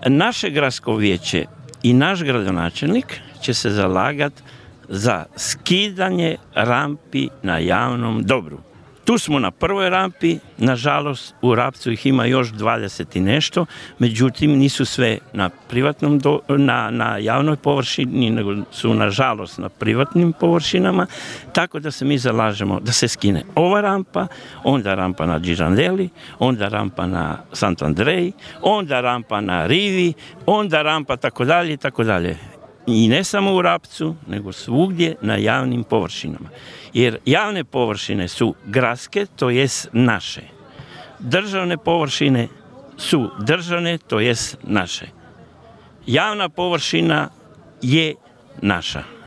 Naše gradsko vijeće i naš gradonačelnik će se zalagati za skidanje rampi na javnom dobru. Tu smo na prvoj rampi, nažalost u Rapcu ih ima još 20 i nešto, međutim nisu sve na privatnom na javnoj površini, nego su nažalost na privatnim površinama, tako da se mi zalažemo da se skine ova rampa, onda rampa na Girardelli, onda rampa na Sant'Andrej, onda rampa na Rivi, onda rampa tako dalje, tako dalje. I ne samo u Rapcu, nego svugdje na javnim površinama. Jer javne površine su gradske, to jest naše. Državne površine su državne, to jest naše. Javna površina je naša.